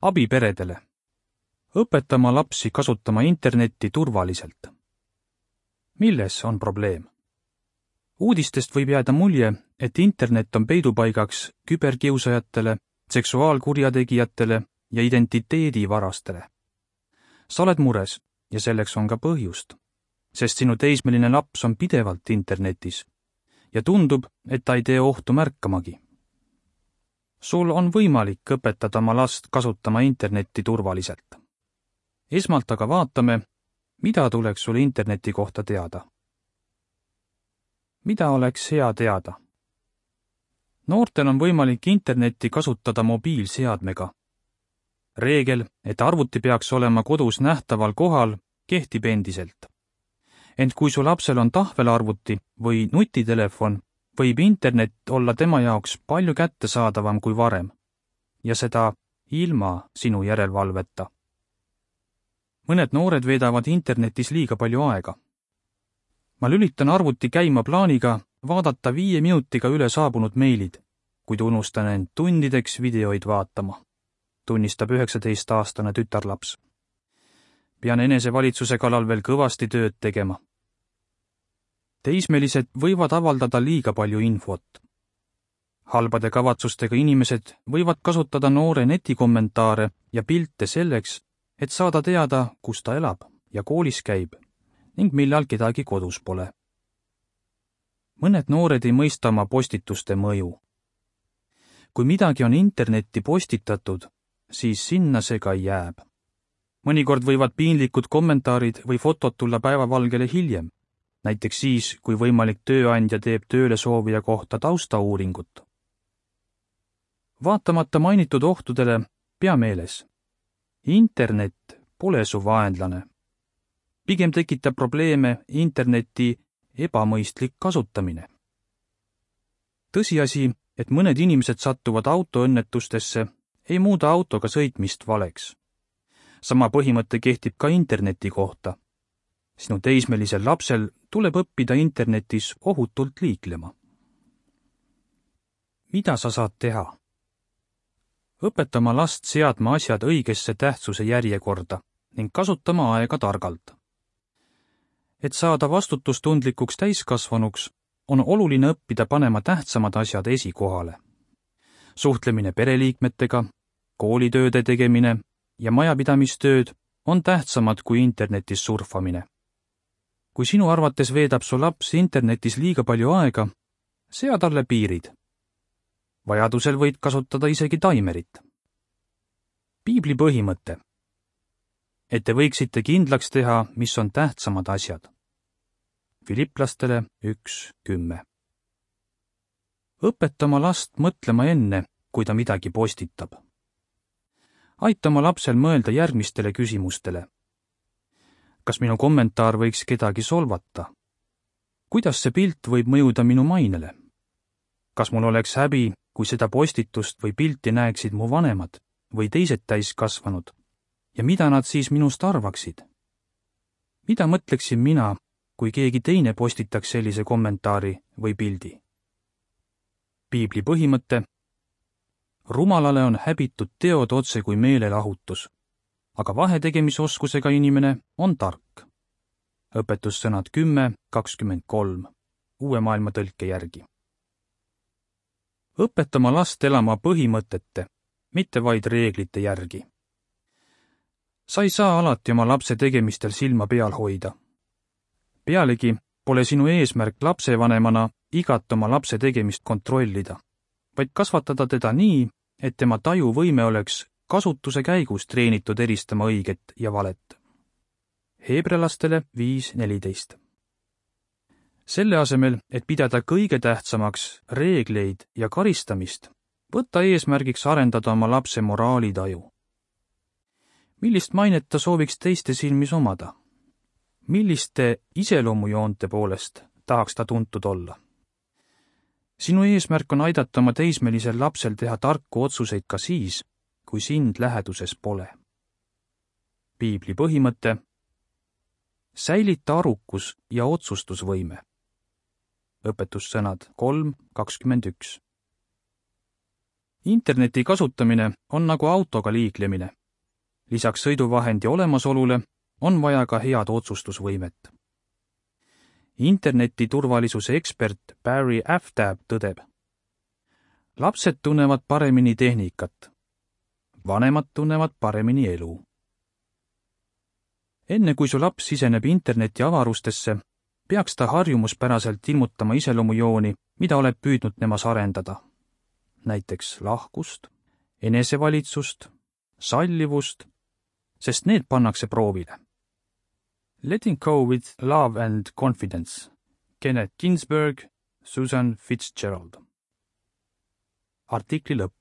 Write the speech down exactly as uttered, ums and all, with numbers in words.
Abi peredele. Õpetama lapsi kasutama internetti turvaliselt. Milles on probleem? Uudistest võib jääda mulje, et internet on peidupaigaks küberkiusajatele, seksuaalkurjategijatele ja identiteedivarastele. Sa oled mures ja selleks on ka põhjust, sest sinu teismeline laps on pidevalt internetis ja tundub, et ta ei tee ohtu märkamagi. Sul on võimalik õpetada oma last kasutama internetti turvaliselt. Esmalt aga vaatame, mida tuleks sul interneti kohta teada. Mida oleks hea teada? Noortel on võimalik internetti kasutada mobiilseadmega. Reegel, et arvuti peaks olema kodus nähtaval kohal, kehtib endiselt. Ent kui su lapsel on tahvelarvuti või nutitelefon, võib internet olla tema jaoks palju kättesaadavam kui varem ja seda ilma sinu järelevalveta. Mõned noored veedavad internetis liiga palju aega. Ma lülitan arvuti käima plaaniga vaadata viie minutiga üle saabunud meilid, kuid unustan end tundideks videoid vaatama, tunnistab üheksateistaastane tütarlaps. Pean enesevalitsuse kallal veel kõvasti tööd tegema. Teismelised võivad avaldada liiga palju infot. Halbade kavatsustega inimesed võivad kasutada noore netikommentaare ja pilte selleks, et saada teada, kus ta elab ja koolis käib ning millal kedagi kodus pole. Mõned noored ei mõista oma postituste mõju. Kui midagi on internetti postitatud, siis sinna see ka jääb. Mõnikord võivad piinlikud kommentaarid või fotod tulla päevavalgele hiljem, näiteks siis, kui võimalik tööandja teeb tööle soovija kohta taustauuringut. Vaatamata mainitud ohtudele, pea meeles. Internet pole su vaenlane. Pigem tekitab probleeme interneti ebamõistlik kasutamine. Tõsiasi, et mõned inimesed sattuvad autoõnnetustesse, ei muuda autoga sõitmist valeks. Sama põhimõte kehtib ka interneti kohta. Sinu teismelisel lapsel tuleb õppida internetis ohutult liiklema. Mida sa saad teha? Õpetama last seadma asjad õigesse tähtsuse järjekorda ning kasutama aega targalt. Et saada vastutustundlikuks täiskasvanuks, on oluline õppida panema tähtsamad asjad esikohale. Suhtlemine pereliikmetega, koolitööde tegemine ja majapidamistööd on tähtsamad kui internetis surfamine. Kui sinu arvates veedab su laps internetis liiga palju aega, sea talle piirid. Vajadusel võid kasutada isegi taimerit. Piibli põhimõte. Et te võiksite kindlaks teha, mis on tähtsamad asjad. Filiplastele üks kümme. Õpetama last mõtlema enne, kui ta midagi postitab. Aitama lapsel mõelda järgmistele küsimustele. Kas minu kommentaar võiks kedagi solvata? Kuidas see pilt võib mõjuda minu mainele? Kas mul oleks häbi, kui seda postitust või pilti näeksid mu vanemad või teised täiskasvanud? Ja mida nad siis minust arvaksid? Mida mõtleksin mina, kui keegi teine postitaks sellise kommentaari või pildi? Piibli põhimõte. Rumalale on häbitud teod otse kui meelelahutus, aga vahetegemisoskusega inimene on tark. Õpetussõnad kümme kakskümmend kolm, uue maailma tõlke järgi. Õpetama last elama põhimõtete, mitte vaid reeglite järgi. Sa ei saa alati oma lapse tegemistel silma peal hoida. Pealegi pole sinu eesmärk lapsevanemana igat oma lapse tegemist kontrollida, vaid kasvatada teda nii, et tema tajuvõime oleks kasutuse käigus treenitud eristama õiget ja valet. Heebrealastele viis neliteist. Selle asemel, et pidada kõige tähtsamaks reegleid ja karistamist, võtta eesmärgiks arendada oma lapse moraalitaju. Millist mainet ta sooviks teiste silmis omada? Milliste iseloomujoonte poolest tahaks ta tuntud olla? Sinu eesmärk on aidata oma teismelisel lapsel teha tarku otsuseid ka siis, kui sind läheduses pole. Piibli põhimõte. Säilita arukus ja otsustusvõime. Õpetussõnad kolm kakskümmend üks. Interneti kasutamine on nagu autoga liiklemine. Lisaks sõiduvahendi olemasolule on vaja ka head otsustusvõimet. Interneti turvalisuse ekspert Barry Aftab tõdeb. Lapsed tunnevad paremini tehnikat. Vanemad tunnevad paremini elu. Enne kui su laps siseneb interneti avarustesse, peaks ta harjumuspäraselt ilmutama iseloomujooni, mida oled püüdnud nemas arendada. Näiteks lahkust, enesevalitsust, sallivust, sest need pannakse proovile. Letting go with love and confidence. Kenneth Ginsberg, Susan Fitzgerald. Artikli lõpp.